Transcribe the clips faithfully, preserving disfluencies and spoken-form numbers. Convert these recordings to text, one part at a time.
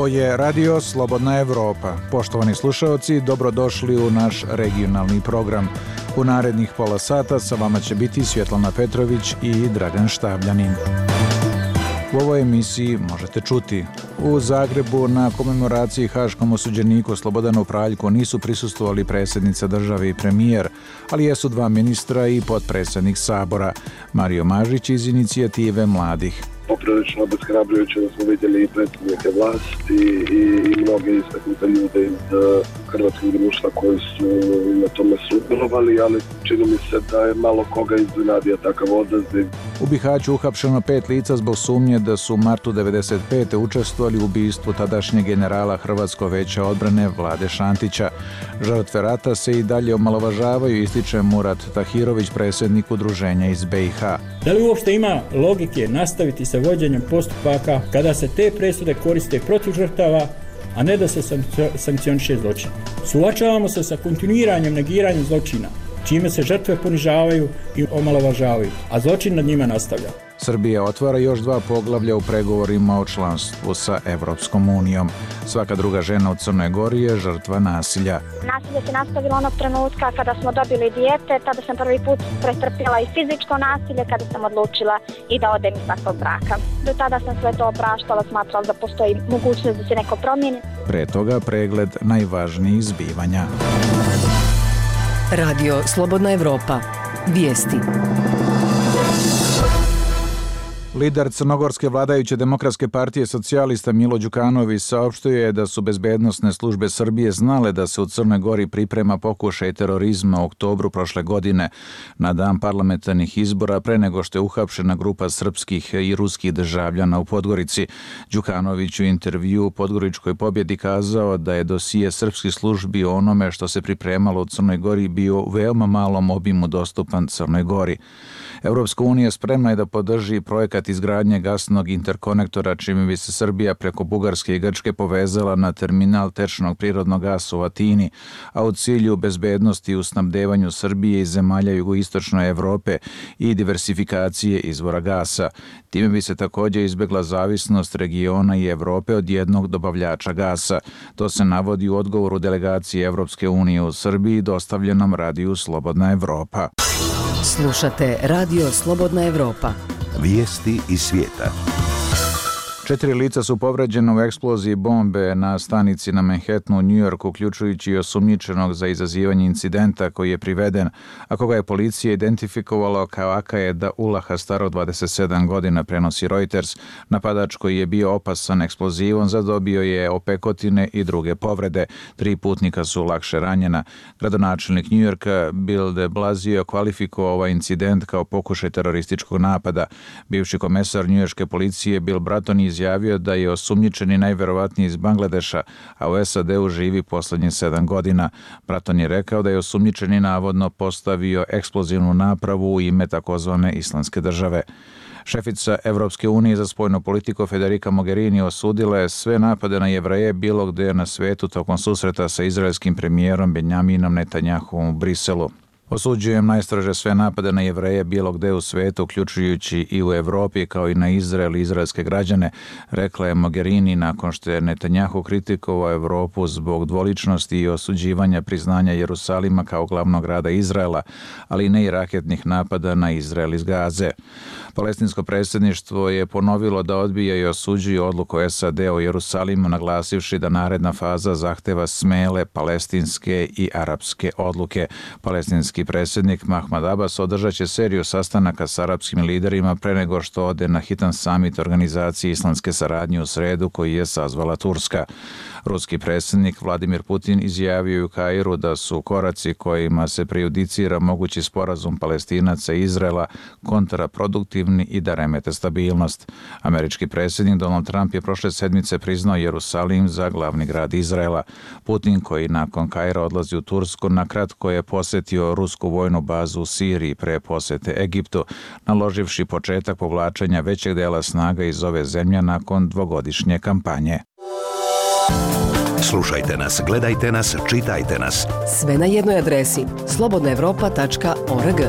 Ovo je Radio Slobodna Evropa. Poštovani slušaoci, dobrodošli u naš regionalni program. U narednih pola sata sa vama će biti Svjetlana Petrović i Dragan Štavljanin. U ovoj emisiji možete čuti: u Zagrebu na komemoraciji haškom osuđeniku Slobodanu Praljku nisu prisustvovali predsjednica države i premijer, ali jesu dva ministra i potpredsjednik Sabora, Mario Mažić iz inicijative mladih. Poprilično obeshrabrujuće da smo vidjeli i predsjednike vlasti i, i mnoge istaknute ljude iz hrvatskog društva koji su na tome sudjelovali, ali čini mi se da je malo koga iznenadio takav odaziv. U Bihaću uhapšeno pet lica zbog sumnje da su u martu devedeset pete učestvovali u ubistvu tadašnjeg generala Hrvatskog veća odbrane Vlade Šantića. Žrtve rata se i dalje omalovažavaju, ističe Murat Tahirović, predsjednik udruženja iz B i H. Da li uopšte ima logike nastaviti sa vođenjem postupaka kada se te presude koriste protiv žrtava, a ne da se sankcioniše zločin? Suočavamo se sa kontinuiranjem negiranja zločina, čime se žrtve ponižavaju i omalovažavaju, a zločin nad njima nastavlja. Srbija otvara još dva poglavlja u pregovorima o članstvu sa Evropskom unijom. Svaka druga žena u Crnoj Gori je žrtva nasilja. Nasilje se nastavilo onog trenutka kada smo dobili dijete, tada sam prvi put pretrpjela i fizičko nasilje kada sam odlučila i da odem iz takvog braka. Do tada sam sve to opraštala, smatrala da postoji mogućnost da se neko promijeni. Pre toga pregled najvažnijih zbivanja. Radio Slobodna Evropa. Vijesti. Lider crnogorske vladajuće demokratske partije socijalista Milo Đukanović saopštio je da su bezbednosne službe Srbije znale da se u Crnoj Gori priprema pokušaj terorizma u oktobru prošle godine, na dan parlamentarnih izbora, pre nego što je uhapšena grupa srpskih i ruskih državljana u Podgorici. Đukanović u intervju u Podgoričkoj pobjedi kazao da je dosije srpskih službi o onome što se pripremalo u Crnoj Gori bio u veoma malom obimu dostupan Crnoj Gori. Evropska unija spremna je da podrži projekat izgradnje gasnog interkonektora, čime bi se Srbija preko Bugarske i Grčke povezala na terminal tečnog prirodnog gasa u Atini, a u cilju bezbednosti u snabdevanju Srbije i zemalja jugoistočne Evrope i diversifikacije izvora gasa. Time bi se također izbjegla zavisnost regiona i Evrope od jednog dobavljača gasa. To se navodi u odgovoru delegacije Evropske unije u Srbiji dostavljenom radiju Slobodna Evropa. Slušate Radio Slobodna Evropa. Vijesti iz svijeta. Četiri lica su povređena u eksploziji bombe na stanici na Manhattanu u New Yorku, uključujući i osumnjičenog za izazivanje incidenta koji je priveden, a koga je policija identifikovala kao Akaeda Ulaha, starog dvadeset sedam godina, prenosi Reuters. Napadač koji je bio opasan eksplozivom zadobio je opekotine i druge povrede. Tri putnika su lakše ranjena. Gradonačelnik New Yorka Bill de Blasio kvalifikovao ovaj incident kao pokušaj terorističkog napada. Bivši komesar njujorške policije Bill Bratton izjavio da je osumnjičeni najverovatniji iz Bangladeša, a u S A D-u živi posljednjih sedam godina. Bratton je rekao da je osumnjičeni navodno postavio eksplozivnu napravu u ime takozvane Islamske države. Šefica Evropske unije za spoljnu politiku Federica Mogherini osudila je sve napade na Jevreje bilo gdje na svijetu tokom susreta sa izraelskim premijerom Benjaminom Netanjahuom u Briselu. Osuđujem najstrože sve napade na Jevreje bilo gde u svijetu, uključujući i u Evropi, kao i na Izrael i izraelske građane, rekla je Mogherini nakon što je Netanjahu kritikovao Evropu zbog dvoličnosti i osuđivanja priznanja Jerusalima kao glavnog grada Izraela, ali ne i raketnih napada na Izrael iz Gaze. Palestinsko predsjedništvo je ponovilo da odbija i osuđuje odluku S A D o Jerusalimu, naglasivši da naredna faza zahteva smele palestinske i arapske odluke. Palestinski predsjednik Mahmud Abbas održat će seriju sastanaka s arapskim liderima pre nego što ode na hitan samit organizacije islamske saradnje u sredu koji je sazvala Turska. Ruski predsjednik Vladimir Putin izjavio u Kairu da su koraci kojima se prejudicira mogući sporazum Palestinaca i Izraela kontraproduktivni i da remete stabilnost. Američki predsjednik Donald Trump je prošle sedmice priznao Jerusalim za glavni grad Izraela. Putin, koji nakon Kaira odlazi u Tursku, nakratko je posjetio rusku vojnu bazu u Siriji pre posjete Egiptu, naloživši početak povlačenja većeg dela snaga iz ove zemlje nakon dvogodišnje kampanje. Slušajte nas, gledajte nas, čitajte nas. Sve na jednoj adresi slobodna evropa tačka org.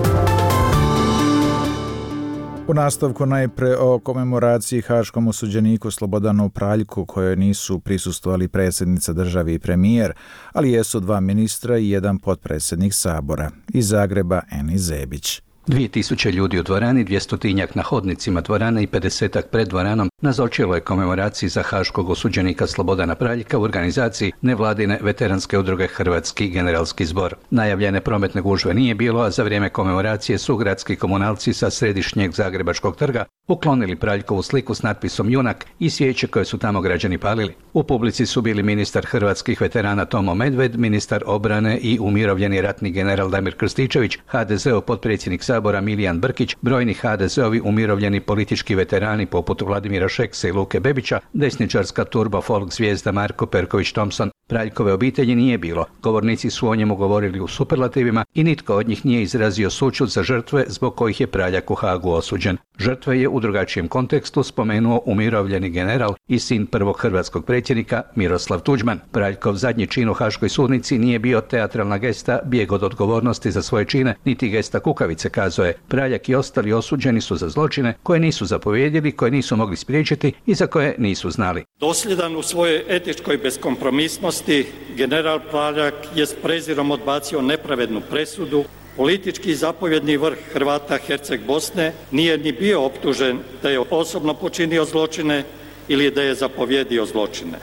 U nastavku najpre o komemoraciji haškom osuđeniku Slobodanu Praljku, kojoj nisu prisustvovali predsjednica države i premijer, ali jesu dva ministra i jedan potpredsjednik Sabora. Iz Zagreba Eni Zebić. Dvije tisuće ljudi u dvorani, dvjestotinjak na hodnicima dvorane i pedesetak pred dvoranom nazočilo je komemoraciji za haškog osuđenika Slobodana Praljka u organizaciji nevladine veteranske udruge Hrvatski generalski zbor. Najavljene prometne gužve nije bilo, a za vrijeme komemoracije su gradski komunalci sa središnjeg Zagrebačkog trga uklonili Praljkovu sliku s natpisom Junak i svijeće koje su tamo građani palili. U publici su bili ministar hrvatskih veterana Tomo Medved, ministar obrane i umirovljeni ratni general Damir Krstičević, ha de zeov potpredsjednik Sabora Milijan Brkić, brojni ha de zeovi umirovljeni politički veterani poput Vladimira Šeksa i Luke Bebića, desničarska turbo folk zvijezda Marko Perković Thompson. Praljkove obitelji nije bilo. Govornici su o njemu govorili u superlativima i nitko od njih nije izrazio sućut za žrtve zbog kojih je Praljak u Hagu osuđen. Žrtve je u drugačijem kontekstu spomenuo umirovljeni general i sin prvog hrvatskog predsjednika Miroslav Tuđman. Praljkov zadnji čin u haškoj sudnici nije bio teatralna gesta, bijeg od odgovornosti za svoje čine, niti gesta kukavice, kazao je. Praljak i ostali osuđeni su za zločine koje nisu zapovjedili, koje nisu mogli spriječiti i za koje nisu znali. Dosljedan u svojoj etičkoj beskompromisnosti, general Praljak je s prezirom odbacio nepravednu presudu. Politički zapovjedni vrh Hrvata Herceg Bosne nije ni bio optužen da je osobno počinio zločine ili da je zapovjedio zločine.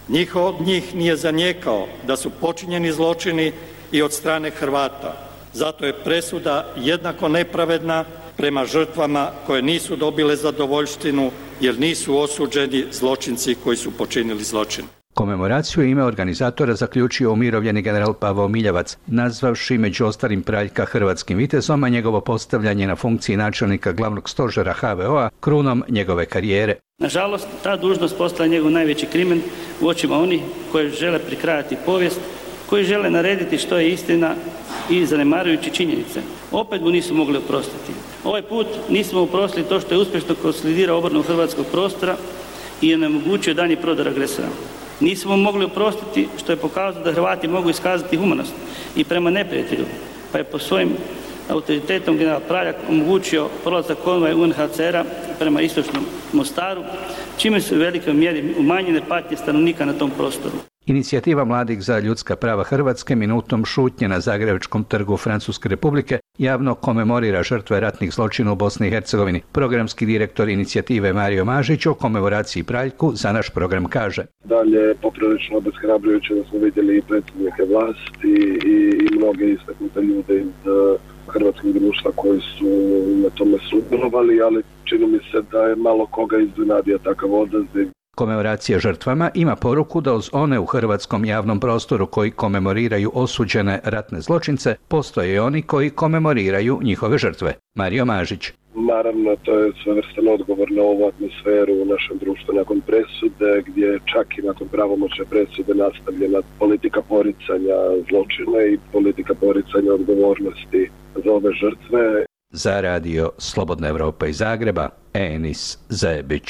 Nitko od njih nije zanijekao da su počinjeni zločini i od strane Hrvata. Zato je presuda jednako nepravedna prema žrtvama koje nisu dobile zadovoljštinu jer nisu osuđeni zločinci koji su počinili zločin. Komemoraciju ime organizatora zaključio umirovljeni general Pavao Miljavac, nazvavši među ostalim Praljka hrvatskim vitezom, a njegovo postavljanje na funkciji načelnika glavnog stožera ha ve o-a krunom njegove karijere. Nažalost, ta dužnost postala njegov najveći krimen u očima onih koji žele prikrajati povijest, koji žele narediti što je istina i zanemarujući činjenice. Opet mu nisu mogli oprostiti. Ovaj put nismo oprostili to što je uspješno konsolidirao obranu hrvatskog prostora i onemogućio danji prodor agresora. Nismo mogli oprostiti što je pokazao da Hrvati mogu iskazati humanost i prema neprijatelju, pa je po svojim autoritetom general Praljak omogućio prolazak konvoja u en ha ce era prema istočnom Mostaru, čime su u velikoj mjeri umanjene patnje stanovnika na tom prostoru. Inicijativa mladih za ljudska prava Hrvatske minutom šutnje na Zagrebačkom trgu Francuske Republike javno komemorira žrtve ratnih zločina u Bosni i Hercegovini. Programski direktor inicijative Mario Mažić o komemoraciji Praljku za naš program kaže: Dalje, poprilično obeshrabrujuće da smo vidjeli i predsjednike vlasti i, i mnoge istaknute ljude iz uh, hrvatskog društva koji su na tome sudjelovali, ali čini mi se da je malo koga iznenadio takav odaziv. Komemoracija žrtvama ima poruku da uz one u hrvatskom javnom prostoru koji komemoriraju osuđene ratne zločince, postoje i oni koji komemoriraju njihove žrtve. Mario Mažić. Naravno, to je svevrstan odgovor na ovu atmosferu u našem društvu nakon presude, gdje čak i nakon pravomoćne presude nastavljena politika poricanja zločina i politika poricanja odgovornosti za ove žrtve. Za radio Slobodna Evropa iz Zagreba, Enis Zebić.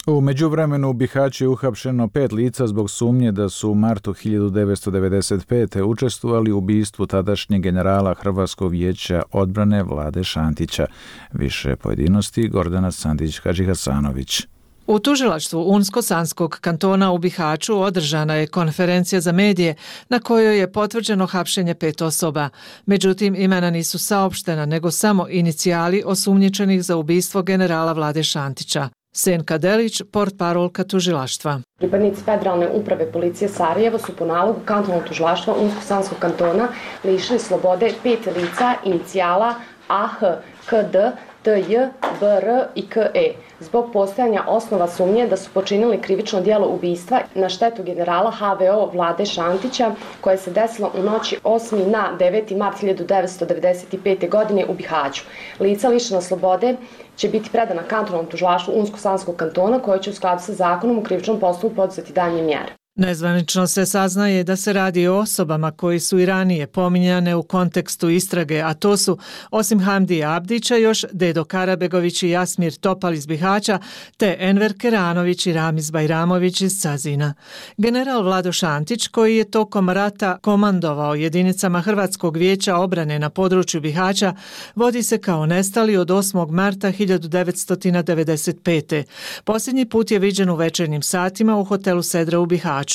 U međuvremenu u Bihaću je uhapšeno pet lica zbog sumnje da su u martu hiljadu devetsto devedeset pete. učestvovali u ubistvu tadašnjeg generala Hrvatskog vijeća odbrane Vlade Šantića. Više pojedinosti Gordana Sandić-Hadžihasanović. U tužilaštvu Unsko-Sanskog kantona u Bihaću održana je konferencija za medije na kojoj je potvrđeno hapšenje pet osoba. Međutim, imena nisu saopštena, nego samo inicijali osumnjičenih za ubistvo generala Vlade Šantića. Senka Delić, portparolka tužilaštva. Pripadnici Federalne uprave policije Sarajevo su po nalogu kantonalnog tužilaštva Unsko-Sanskog kantona lišili slobode pet lica inicijala A H, K D, T J, B R i K E zbog postojanja osnova sumnje da su počinili krivično djelo ubistva na štetu generala ha ve o Vlade Šantića koje se desilo u noći osmi na deveti mart hiljadu devetsto devedeset pete. godine u Bihaću. Lica lišena slobode će biti predana kantonalnom tužilaštvu Unsko-Sanskog kantona koje će u skladu sa zakonom u krivičnom postupku poduzeti daljnje mjere. Nezvanično se saznaje da se radi o osobama koji su i ranije pominjane u kontekstu istrage, a to su osim Hamdija Abdića još Dedo Karabegović i Jasmir Topal iz Bihaća, te Enver Keranović i Ramiz Bajramović iz Cazina. General Vlado Šantić, koji je tokom rata komandovao jedinicama Hrvatskog vijeća obrane na području Bihaća, vodi se kao nestali od osmog marta hiljadu devetsto devedeset pete. Posljednji put je viđen u večernjim satima u hotelu Sedra u Bihaću.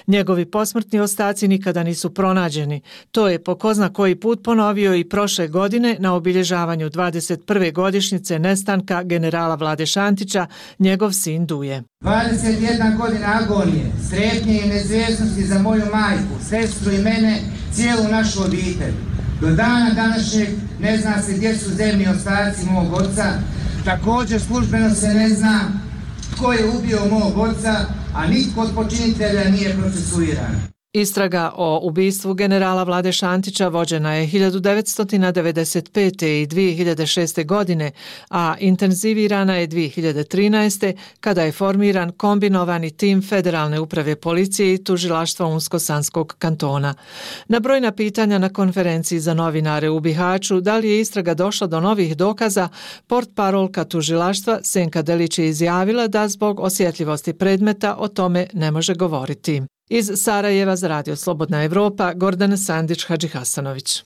Njegovi posmrtni ostaci nikada nisu pronađeni. To je po ko zna koji put ponovio i prošle godine na obilježavanju dvadeset prve godišnjice nestanka generala Vlade Šantića, njegov sin Duje. dvadeset jedna godina agonije, strepnje i neizvjesnosti za moju majku, sestru i mene, cijelu našu obitelj. Do dana današnjeg ne zna se gdje su zemlji ostaci mog oca. Također službeno se ne zna tko je ubio mog oca, a nitko od počinitelja nije procesuiran. Istraga o ubistvu generala Vlade Šantića vođena je hiljadu devetsto devedeset pete i dvije hiljade šeste. godine, a intenzivirana je dvije hiljade trinaeste. kada je formiran kombinovani tim Federalne uprave policije i tužilaštva Unsko-Sanskog kantona. Na brojna pitanja na konferenciji za novinare u Bihaću da li je istraga došla do novih dokaza, portparolka tužilaštva Senka Delić je izjavila da zbog osjetljivosti predmeta o tome ne može govoriti. Iz Sarajeva za Radio Slobodna Evropa, Gordana Sandić-Hadžihasanović.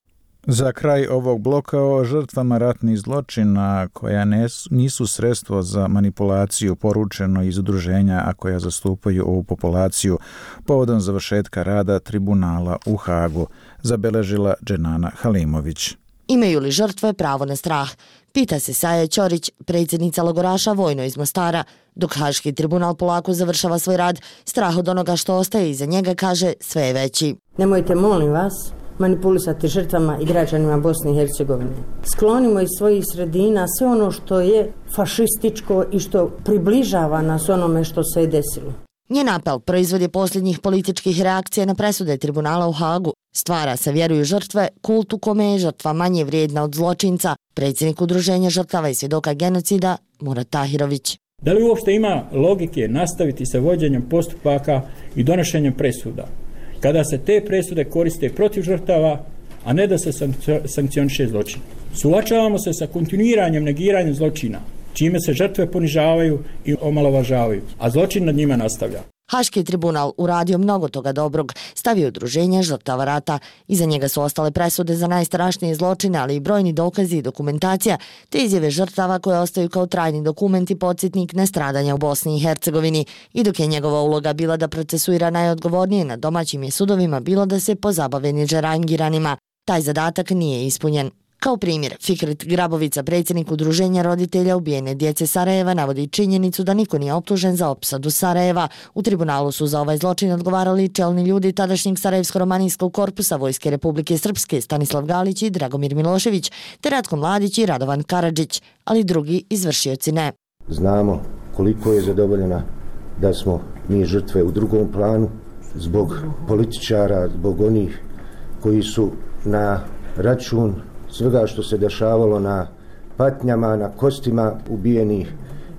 Za kraj ovog bloka o žrtvama ratnih zločina koja nisu sredstvo za manipulaciju poručeno iz udruženja, a koja zastupaju ovu populaciju povodom završetka rada tribunala u Hagu, zabeležila Dženana Halimović. Imaju li žrtve pravo na strah? Pita se Saja Ćorić, predsjednica logoraša Vojno iz Mostara. Dok Haški tribunal polako završava svoj rad, strah od onoga što ostaje iza njega, kaže, sve je veći. Nemojte, molim vas, manipulisati žrtvama i građanima Bosne i Hercegovine. Sklonimo iz svojih sredina sve ono što je fašističko i što približava nas onome što se je desilo. Njen apel proizvod je posljednjih političkih reakcija na presude tribunala u Hagu. Stvara se, vjeruju žrtve, kult u kome je žrtva manje vrijedna od zločinca, predsjednik udruženja žrtava i svjedoka genocida Murat Tahirović. Da li uopšte ima logike nastaviti sa vođenjem postupaka i donošenjem presuda, kada se te presude koriste protiv žrtava, a ne da se sankcioniše zločin? Suočavamo se sa kontinuiranjem negiranja zločina, čime se žrtve ponižavaju i omalovažavaju, a zločin nad njima nastavlja. Haški tribunal uradio mnogo toga dobrog, stavio udruženje žrtava rata. Iza njega su ostale presude za najstrašnije zločine, ali i brojni dokazi i dokumentacija, te izjave žrtava koje ostaju kao trajni dokument i podsjetnik nestradanja u Bosni i Hercegovini. I dok je njegova uloga bila da procesuira najodgovornije na domaćim je sudovima, bilo da se pozabave niđerangiranima. Taj zadatak nije ispunjen. Kao primjer, Fikret Grabovica, predsjednik udruženja roditelja ubijene djece Sarajeva, navodi činjenicu da niko nije optužen za opsadu Sarajeva. U tribunalu su za ovaj zločin odgovarali čelni ljudi tadašnjeg Sarajevsko-romanijskog korpusa Vojske Republike Srpske, Stanislav Galić i Dragomir Milošević, te Ratko Mladić i Radovan Karadžić, ali drugi izvršioci ne. Znamo koliko je zadovoljena da smo mi žrtve u drugom planu zbog političara, zbog onih koji su na račun svega što se dešavalo na patnjama, na kostima ubijenih,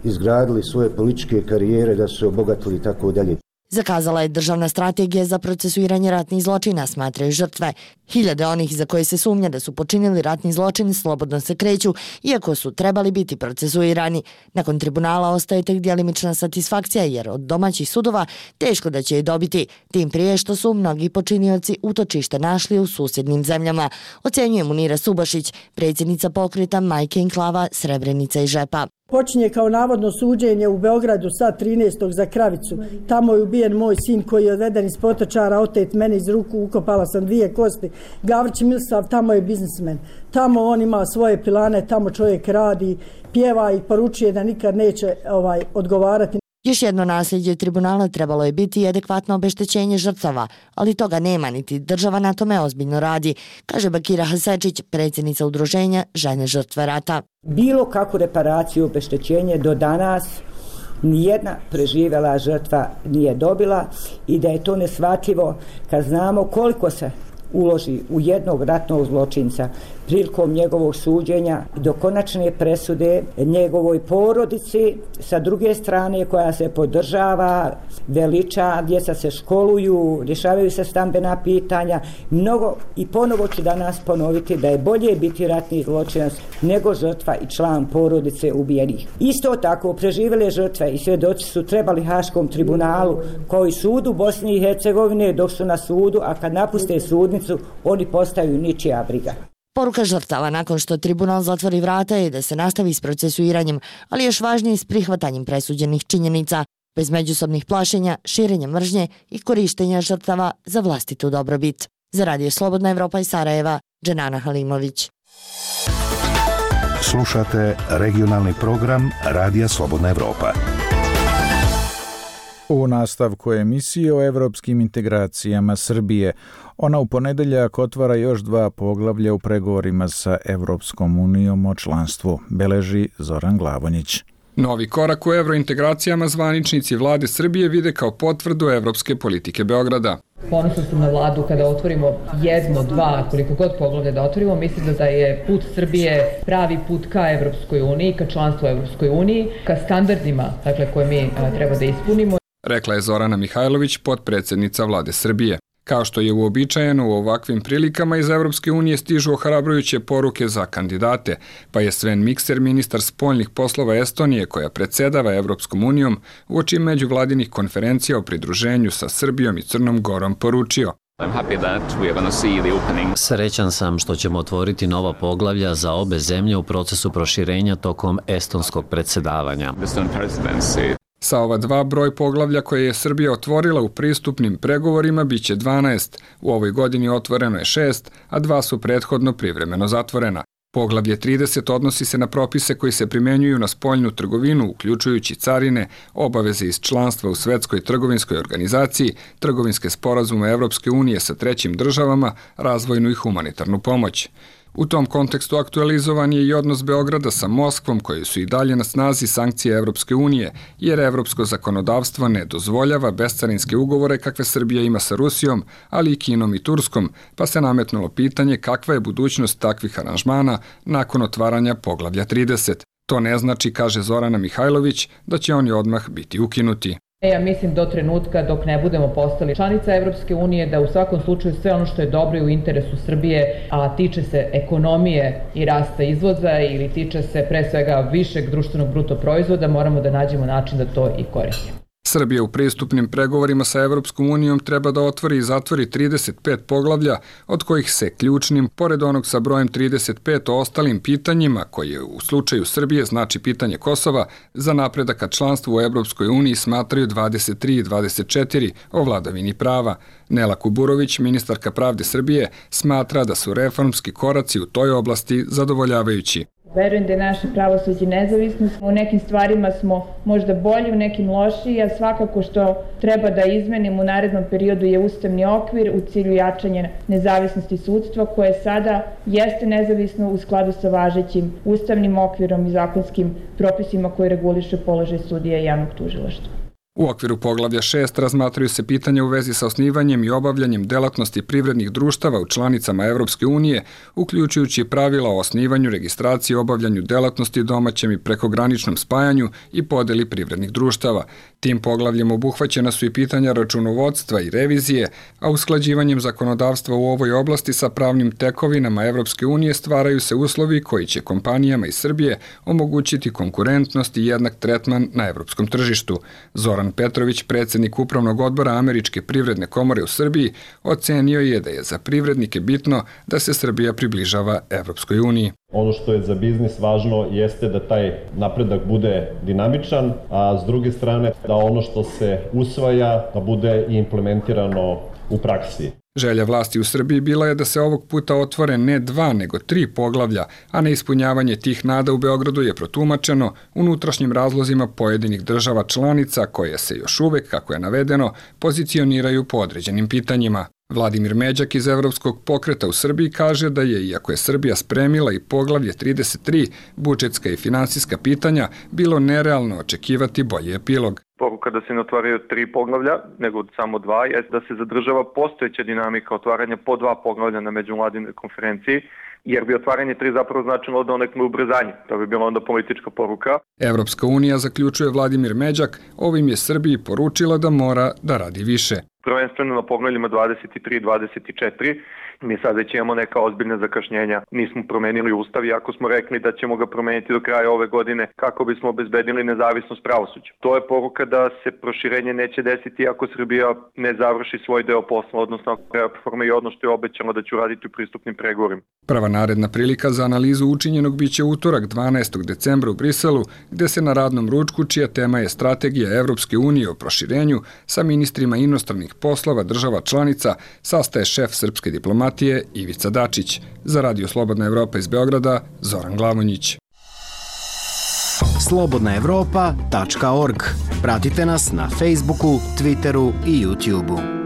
izgradili svoje političke karijere, da su se obogatili i tako dalje. Zakazala je državna strategija za procesuiranje ratnih zločina, smatraju žrtve. Hiljade onih za koje se sumnja da su počinili ratni zločin slobodno se kreću, iako su trebali biti procesuirani. Nakon tribunala ostaje tek djelimična satisfakcija, jer od domaćih sudova teško da će je dobiti, tim prije što su mnogi počinioci utočište našli u susjednim zemljama. Ocenjuje Munira Subašić, predsjednica pokreta Majke Enklava Srebrenica i Žepa. Počinje kao navodno suđenje u Beogradu sad trinaestog za Kravicu. Tamo je ubijen moj sin koji je odveden iz Potočara, otet mene iz ruku, ukopala sam dvije kosti. Gavrić Milsav, tamo je biznismen. Tamo on ima svoje pilane, tamo čovjek radi, pjeva i poručuje da nikad neće ovaj, odgovarati. Još jedno nasljeđe tribunala trebalo je biti i adekvatno obeštećenje žrtava, ali toga nema, niti država na tome ozbiljno radi, kaže Bakira Hasečić, predsjednica udruženja Žene žrtve rata. Bilo kakvu reparaciju, obeštećenje do danas nijedna preživjela žrtva nije dobila i da je to neshvatljivo kad znamo koliko se uloži u jednog ratnog zločinca prilikom njegovog suđenja do konačne presude njegovoj porodici, sa druge strane koja se podržava, veliča, djeca se školuju, rješavaju se stambena pitanja, mnogo, i ponovo ću danas ponoviti da je bolje biti ratni zločinac nego žrtva i član porodice ubijenih. Isto tako, preživjele žrtve i svjedoci su trebali Haškom tribunalu kao i sudu Bosne i Hercegovine dok su na sudu, a kad napuste sudnicu, oni postaju ničija briga. Poruka žrtava nakon što tribunal zatvori vrata je da se nastavi s procesuiranjem, ali još važnije s prihvatanjem presuđenih činjenica, bez međusobnih plašenja, širenja mržnje i korištenja žrtava za vlastitu dobrobit. Za Radio Slobodna Evropa iz Sarajeva, Dženana Halimović. Slušate regionalni program Radija Slobodna Evropa. U nastavku emisije o evropskim integracijama Srbije, ona u ponedeljak otvara još dva poglavlja u pregovorima sa Evropskom unijom o članstvu, beleži Zoran Glavonjić. Novi korak u evrointegracijama zvaničnici vlade Srbije vide kao potvrdu evropske politike Beograda. Ponosno sam na vladu kada otvorimo jedno, dva, koliko god poglavlja da otvorimo, mislim da je put Srbije pravi put ka Evropskoj uniji, ka članstvu Evropskoj uniji, ka standardima dakle, koje mi a, treba da ispunimo. Rekla je Zorana Mihajlović, potpredsjednica vlade Srbije. Kao što je uobičajeno u ovakvim prilikama iz Evropske unije stižu ohrabrujuće poruke za kandidate, pa je Sven Mikser, ministar spoljnih poslova Estonije koja predsjedava Evropskom unijom, uoči međuvladinih konferencija o pridruženju sa Srbijom i Crnom Gorom poručio. Srećan sam što ćemo otvoriti nova poglavlja za obe zemlje u procesu proširenja tokom estonskog predsjedavanja. Sa ova dva broj poglavlja koje je Srbija otvorila u pristupnim pregovorima biće dvanaest. U ovoj godini otvoreno je šest, a dva su prethodno privremeno zatvorena. Poglavlje trideset odnosi se na propise koji se primjenjuju na spoljnu trgovinu, uključujući carine, obaveze iz članstva u Svetskoj trgovinskoj organizaciji, trgovinske sporazume Evropske unije sa trećim državama, razvojnu i humanitarnu pomoć. U tom kontekstu aktualizovan je i odnos Beograda sa Moskvom, koji su i dalje na snazi sankcije Evropske unije, jer evropsko zakonodavstvo ne dozvoljava bescarinske ugovore kakve Srbija ima sa Rusijom, ali i Kinom i Turskom, pa se nametnulo pitanje kakva je budućnost takvih aranžmana nakon otvaranja poglavlja trideset. To ne znači, kaže Zorana Mihajlović, da će oni odmah biti ukinuti. Ja mislim do trenutka dok ne budemo postali članica Evropske unije da u svakom slučaju sve ono što je dobro i u interesu Srbije, a tiče se ekonomije i rasta izvoza ili tiče se pre svega višeg društvenog bruto proizvoda, moramo da nađemo način da to i koristimo. Srbija u pristupnim pregovorima sa Evropskom unijom treba da otvori i zatvori trideset pet poglavlja, od kojih se ključnim, pored onog sa brojem trideset pet o ostalim pitanjima, koje u slučaju Srbije znači pitanje Kosova, za napredak ka članstvu u Evropskoj uniji smatraju dvadeset tri i dvadeset četiri o vladavini prava. Nela Kuburović, ministarka pravde Srbije, smatra da su reformski koraci u toj oblasti zadovoljavajući. Verujem da je naše pravosuđe nezavisno. U nekim stvarima smo možda bolji, u nekim lošiji, a svakako što treba da izmenimo u narednom periodu je ustavni okvir u cilju jačanja nezavisnosti sudstva, koje sada jeste nezavisno u skladu sa važećim ustavnim okvirom i zakonskim propisima koji reguliše položaj sudija i javnog tužilaštva. U okviru poglavlja šest razmatraju se pitanja u vezi sa osnivanjem i obavljanjem delatnosti privrednih društava u članicama Evropske unije, uključujući pravila o osnivanju, registraciji, obavljanju delatnosti domaćem i prekograničnom spajanju i podeli privrednih društava. Tim poglavljem obuhvaćena su i pitanja računovodstva i revizije, a usklađivanjem zakonodavstva u ovoj oblasti sa pravnim tekovinama Evropske unije stvaraju se uslovi koji će kompanijama iz Srbije omogućiti konkurentnost i jednak tretman na evropskom tržištu. Zoran Petrović, predsjednik Upravnog odbora Američke privredne komore u Srbiji, ocenio je da je za privrednike bitno da se Srbija približava Evropskoj uniji. Ono što je za biznis važno jeste da taj napredak bude dinamičan, a s druge strane da ono što se usvaja da bude implementirano u praksi. Želja vlasti u Srbiji bila je da se ovog puta otvore ne dva, nego tri poglavlja, a neispunjavanje tih nada u Beogradu je protumačeno unutrašnjim razlozima pojedinih država članica koje se još uvek, kako je navedeno, pozicioniraju po određenim pitanjima. Vladimir Međak iz Evropskog pokreta u Srbiji kaže da je, iako je Srbija spremila i poglavlje trideset tri, budžetska i finansijska pitanja, bilo nerealno očekivati bolji epilog. Poruka da se ne otvaraju tri poglavlja, nego samo dva, je da se zadržava postojeća dinamika otvaranja po dva poglavlja na međuvladinoj konferenciji, jer bi otvaranje tri zapravo značilo donekle ubrzanje. To bi bila onda politička poruka. Evropska unija, zaključuje Vladimir Međak, ovim je Srbiji poručila da mora da radi više. Prvenstveno na poglavljima dvadeset tri i dvadeset četiri, mi sad već imamo neka ozbiljna zakašnjenja. Nismo promenili ustav, iako smo rekli da ćemo ga promeniti do kraja ove godine kako bismo obezbedili nezavisnost pravosuđa. To je poruka da se proširenje neće desiti ako Srbija ne završi svoj deo posla, odnosno ako reforma i ono što je obećala da će uraditi u pristupnim pregovorima. Prva naredna prilika za analizu učinjenog biće utorak dvanaestog decembra u Briselu, gde se na radnom ručku, čija tema je strategija Evropske unije o proširenju, sa ministrima inostranih poslova država članica, sastaje šef srpske diplomatije Ivica Dačić. Za Radio Slobodna Evropa iz Beograda, Zoran Glavonjić. slobodna evropa tačka org. Pratite nas na Facebooku, Twitteru i YouTubeu.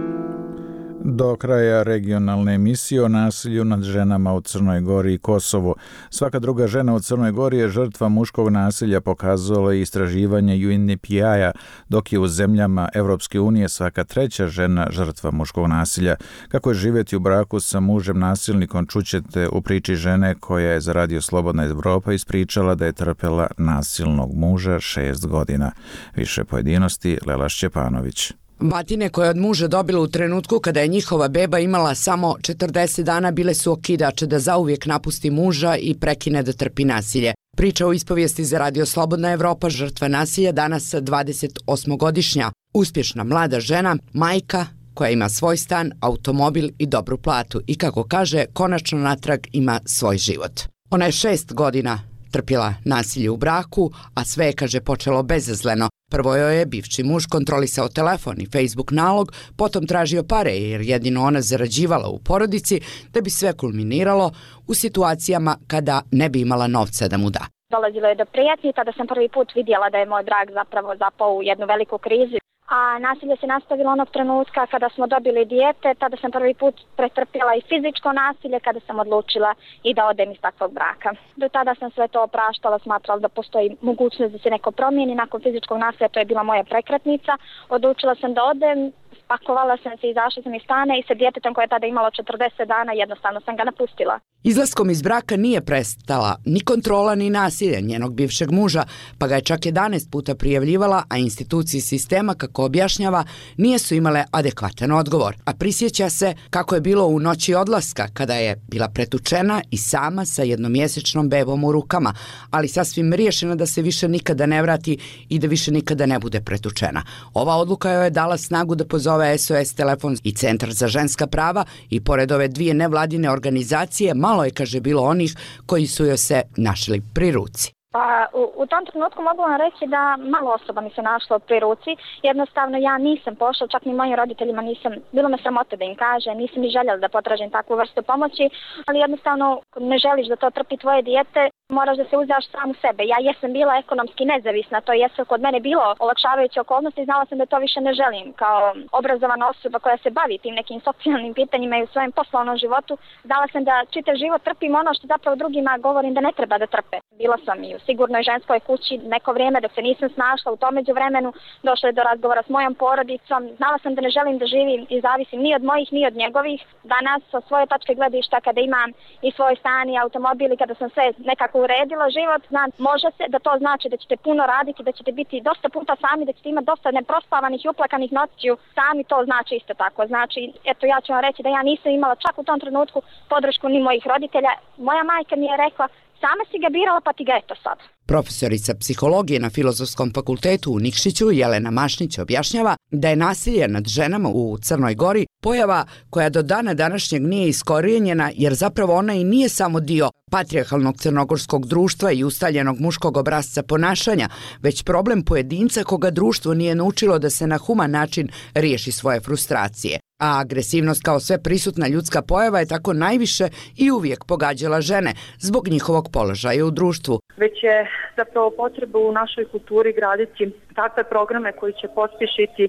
Do kraja regionalne emisije o nasilju nad ženama u Crnoj Gori i Kosovu. Svaka druga žena u Crnoj Gori je žrtva muškog nasilja, pokazalo je istraživanje U N D P I-a, dok je u zemljama Evropske unije svaka treća žena žrtva muškog nasilja. Kako je živjeti u braku sa mužem nasilnikom, čućete u priči žene koja je za Radio Slobodna Evropa ispričala da je trpela nasilnog muža šest godina. Više pojedinosti Lela Šćepanović. Batine koje je od muža dobila u trenutku kada je njihova beba imala samo četrdeset dana bile su okidač da zauvijek napusti muža i prekine da trpi nasilje. Priča o ispovijesti za Radio Slobodna Evropa, žrtva nasilja, danas dvadesetosmogodišnja. Uspješna mlada žena, majka koja ima svoj stan, automobil i dobru platu i, kako kaže, konačno natrag ima svoj život. Ona je šest godina trpjela nasilje u braku, a sve je, kaže, počelo bezazleno. Prvo joj je bivši muž kontrolisao telefon i Facebook nalog, potom tražio pare jer jedino ona zarađivala u porodici, da bi sve kulminiralo u situacijama kada ne bi imala novca da mu da. Dolazilo je do prijetnji, tada sam prvi put vidjela da je moj brak zapravo zapao u jednu veliku krizu. A nasilje se nastavilo onog trenutka kada smo dobili dijete, tada sam prvi put pretrpjela i fizičko nasilje kada sam odlučila i da odem iz takvog braka. Do tada sam sve to opraštala, smatrala da postoji mogućnost da se neko promijeni. Nakon fizičkog nasilja, to je bila moja prekretnica, odlučila sam da odem, spakovala sam se, izašla sam iz stana i sa djetetom koje je tada imalo četrdeset dana jednostavno sam ga napustila. Izlaskom iz braka nije prestala ni kontrola ni nasilje njenog bivšeg muža, pa ga je čak jedanaest puta prijavljivala, a institucije sistema, kako objašnjava, nije su imale adekvatan odgovor. A prisjeća se kako je bilo u noći odlaska, kada je bila pretučena i sama sa jednomjesečnom bebom u rukama, ali sasvim riješena da se više nikada ne vrati i da više nikada ne bude pretučena. Ova odluka joj je dala snagu da pozove S O S telefon i Centar za ženska prava i pored ove dvije nevladine organizacije, malo je, kaže, bilo onih koji su joj se našli pri ruci. Pa u, u tom trenutku mogu vam reći da malo osoba mi se našlo pri ruci. Jednostavno ja nisam pošla, čak ni mojim roditeljima nisam, bilo me sramota da im kaže, nisam ni željela da potražim takvu vrstu pomoći, ali jednostavno ne želiš da to trpi tvoje dijete, moraš da se uzdaš sam u sebe. Ja jesam bila ekonomski nezavisna, to jesu kod mene bilo olakšavajuće okolnosti, znala sam da to više ne želim. Kao obrazovana osoba koja se bavi tim nekim socijalnim pitanjima i u svojem poslovnom životu, znala sam da čitav život trpim ono što zapravo drugima govorim da ne treba da trpe. Bila sam i u sigurnoj ženskoj kući neko vrijeme dok se nisam snašla, u tom međuvremenu došlo je do razgovora s mojom porodicom, znala sam da ne želim da živim i zavisim ni od mojih ni od njegovih. Danas sa svoje tačke gledišta kada imam i svoj stan i automobil i kada sam sve nekako uredila život, znam, može se da to znači da ćete puno raditi, da ćete biti dosta puta sami, da ćete imati dosta neprospavanih i uplakanih noćiju sami, to znači isto tako. Znači, eto, ja ću vam reći da ja nisam imala čak u tom trenutku podršku ni mojih roditelja. Moja majka mi je rekla, sama si ga birala pa ti ga eto sad. Profesorica psihologije na Filozofskom fakultetu u Nikšiću Jelena Mašnić objašnjava da je nasilje nad ženama u Crnoj Gori pojava koja do dana današnjeg nije iskorijenjena, jer zapravo ona i nije samo dio patrijarhalnog crnogorskog društva i ustaljenog muškog obrasca ponašanja, već problem pojedinca koga društvo nije naučilo da se na human način riješi svoje frustracije. A agresivnost kao sve prisutna ljudska pojava je tako najviše i uvijek pogađala žene zbog njihovog položaja u društvu. Već je zapravo potreba u našoj kulturi graditi takve programe koji će pospješiti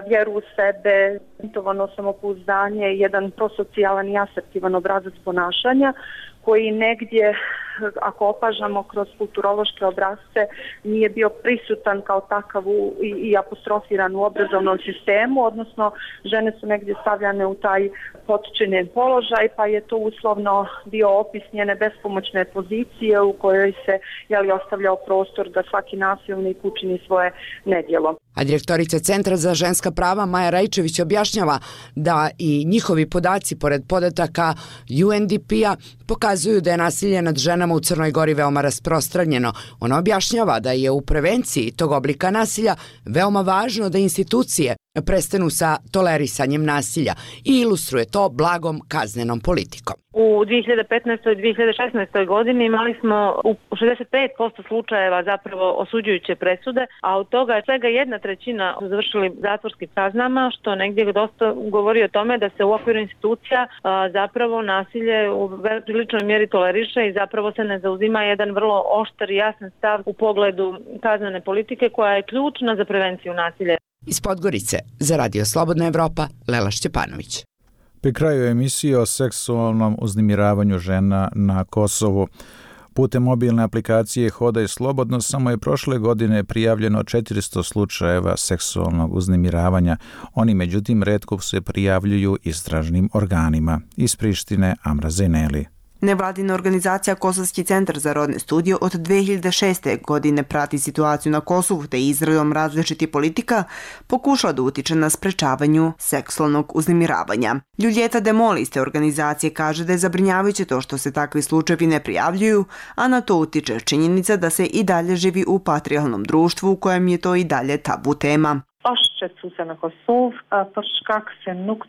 vjeru u sebe, intovano samopouzdanje, jedan prosocijalan i asertivan obrazac ponašanja koji negdje, ako opažamo kroz kulturološke obrazce, nije bio prisutan kao takav u, i, i apostrofiran u obrazovnom sistemu, odnosno žene su negdje stavljane u taj potčinjen položaj, pa je to uslovno bio opis njene bespomoćne pozicije u kojoj se jeli, ostavljao prostor da svaki nasilnik učini svoje nedjelo. A direktorica Centra za ženska prava Maja Rajčević objašnjava da i njihovi podaci, pored podataka U N D P-a, pokazuju da je nasilje nad ženama u Crnoj Gori veoma rasprostranjeno. Ona objašnjava da je u prevenciji tog oblika nasilja veoma važno da institucije prestanu sa tolerisanjem nasilja i ilustruje to blagom kaznenom politikom. U dvije hiljade petnaestoj i dvije hiljade šesnaestoj godini imali smo u šezdeset pet posto slučajeva zapravo osuđujuće presude, a od toga je svega jedna trećina su završili zatvorskim kaznama, što negdje dosta govori o tome da se u okviru institucija a, zapravo nasilje u priličnoj mjeri toleriše i zapravo se ne zauzima jedan vrlo oštar i jasan stav u pogledu kaznene politike koja je ključna za prevenciju nasilja. Iz Podgorice za Radio Slobodna Evropa, Lela Šćepanović. Pri kraju emisije o seksualnom uznemiravanju žena na Kosovu. Putem mobilne aplikacije Hodaj slobodno samo je prošle godine prijavljeno četiristo slučajeva seksualnog uznemiravanja. Oni međutim retko se prijavljuju istražnim organima. Iz Prištine Amra Zeneli. Nevladina organizacija Kosovski centar za rodne studije od dvije hiljade šeste. godine prati situaciju na Kosovu te izradom različitih politika pokušala da utiče na sprečavanju seksualnog uznemiravanja. Ljuljeta Demoli iz te organizacije kaže da je zabrinjavajuće to što se takvi slučajevi ne prijavljuju, a na to utiče činjenica da se i dalje živi u patrijarhalnom društvu u kojem je to i dalje tabu tema.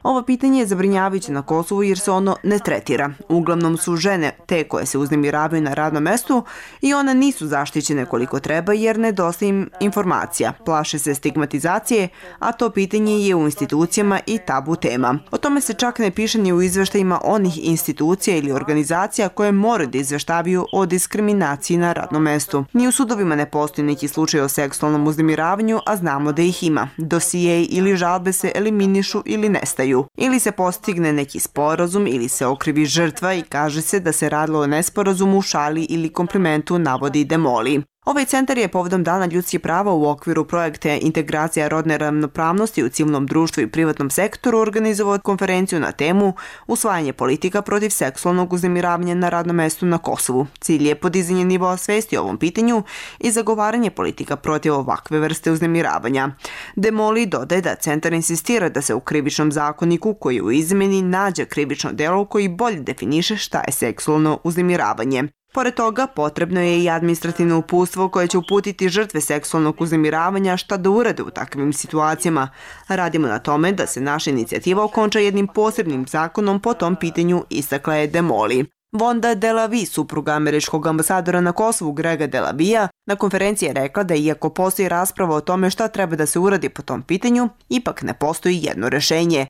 Ovo pitanje je zabrinjavajuće na Kosovu jer se ono ne tretira. Uglavnom su žene te koje se uznemiravaju na radnom mestu i one nisu zaštićene koliko treba jer nedostaje im informacija. Plaše se stigmatizacije, a to pitanje je u institucijama i tabu tema. O tome se čak ne piše ni u izveštajima onih institucija ili organizacija koje moraju da izveštavaju o diskriminaciji na radnom mestu. Ni u sudovima ne postoji neki slučaj o seksualnom uznemiravanju, a znamo da ih ima. Dosijeji ili žalbe se eliminišu ili nestaju. Ili se postigne neki sporazum ili se okrivi žrtva i kaže se da se radilo o nesporazumu, šali ili komplimentu, navodi Demoli. Ovaj centar je povodom Dana ljudskih prava u okviru projekte Integracija rodne ravnopravnosti u civilnom društvu i privatnom sektoru organizovao konferenciju na temu Usvajanje politika protiv seksualnog uznemiravanja na radnom mestu na Kosovu. Cilj je podizanje nivoa svesti o ovom pitanju i zagovaranje politika protiv ovakve vrste uznemiravanja. Demoli dodaje da centar insistira da se u krivičnom zakoniku koji je u izmeni nađe krivično delo koji bolje definiše šta je seksualno uznemiravanje. Pored toga, potrebno je i administrativno uputstvo koje će uputiti žrtve seksualnog uznemiravanja šta da urade u takvim situacijama. Radimo na tome da se naša inicijativa okonča jednim posebnim zakonom po tom pitanju, istakla je Demoli. Vonda Delavi, supruga američkog ambasadora na Kosovu Grega Delavija, na konferenciji je rekla da iako postoji rasprava o tome šta treba da se uradi po tom pitanju, ipak ne postoji jedno rešenje.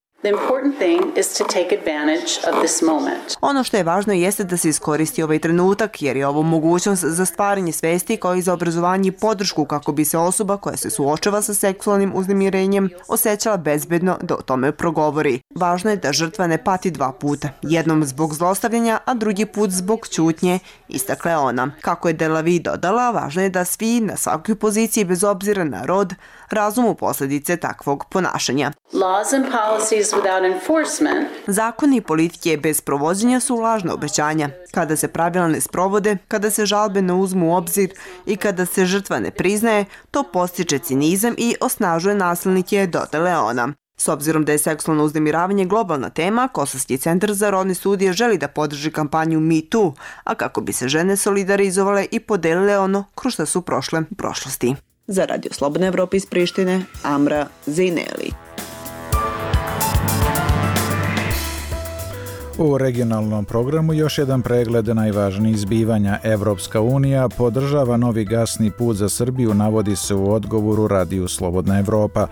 Ono što je važno jeste da se iskoristi ovaj trenutak jer je ovo mogućnost za stvaranje svesti kao i za obrazovanje i podršku kako bi se osoba koja se suočava sa seksualnim uznemirenjem osjećala bezbedno da o tome progovori. Važno je da žrtva ne pati dva puta, jednom zbog zlostavljanja, a drugi put zbog ćutnje, istakla je ona. Kako je Delavi dodala, važno je da svi na svakoj poziciji bez obzira na rod razumu posljedice takvog ponašanja. Zakoni i politike bez provođenja su lažna obećanja. Kada se pravila ne sprovode, kada se žalbe ne uzmu u obzir i kada se žrtva ne priznaje, to postiče cinizam i osnažuje nasilnike, dodala ona. S obzirom da je seksualno uznemiravanje globalna tema, Kosovski centar za rodne studije želi da podrži kampanju Me Too, a kako bi se žene solidarizovale i podelile ono kroz što su prošle u prošlosti. Za Radio Slobodna Evropa iz Prištine, Amra Zeneli. U regionalnom programu još jedan pregled najvažnijih zbivanja. Evropska unija podržava novi gasni put za Srbiju, navodi se u odgovoru radiju Slobodna Evropa.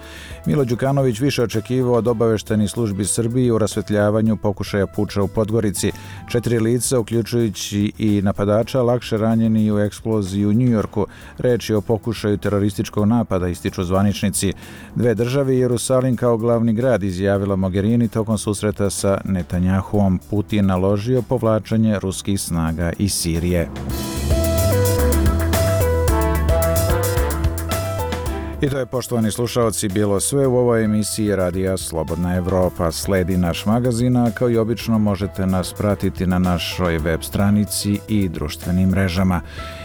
Milo Đukanović više očekivao od obaveštenih službi Srbije u rasvetljavanju pokušaja puča u Podgorici. Četiri lica, uključujući i napadača, lakše ranjeni u eksploziji u Njujorku. Reč je o pokušaju terorističkog napada, ističu zvaničnici. Dve države i Jerusalim kao glavni grad, izjavila Mogherini tokom susreta sa Netanjahuom. Putin naložio povlačenje ruskih snaga iz Sirije. I to je, poštovani slušaoci, bilo sve u ovoj emisiji Radija Slobodna Evropa. Sledi naš magazin, a kao i obično možete nas pratiti na našoj web stranici i društvenim mrežama.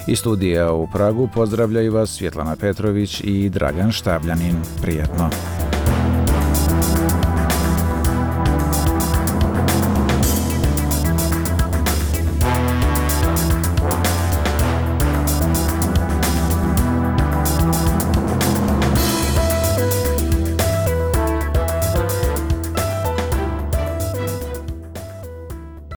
Iz studija u Pragu pozdravljaju vas Svjetlana Petrović i Dragan Štabljanin. Prijetno!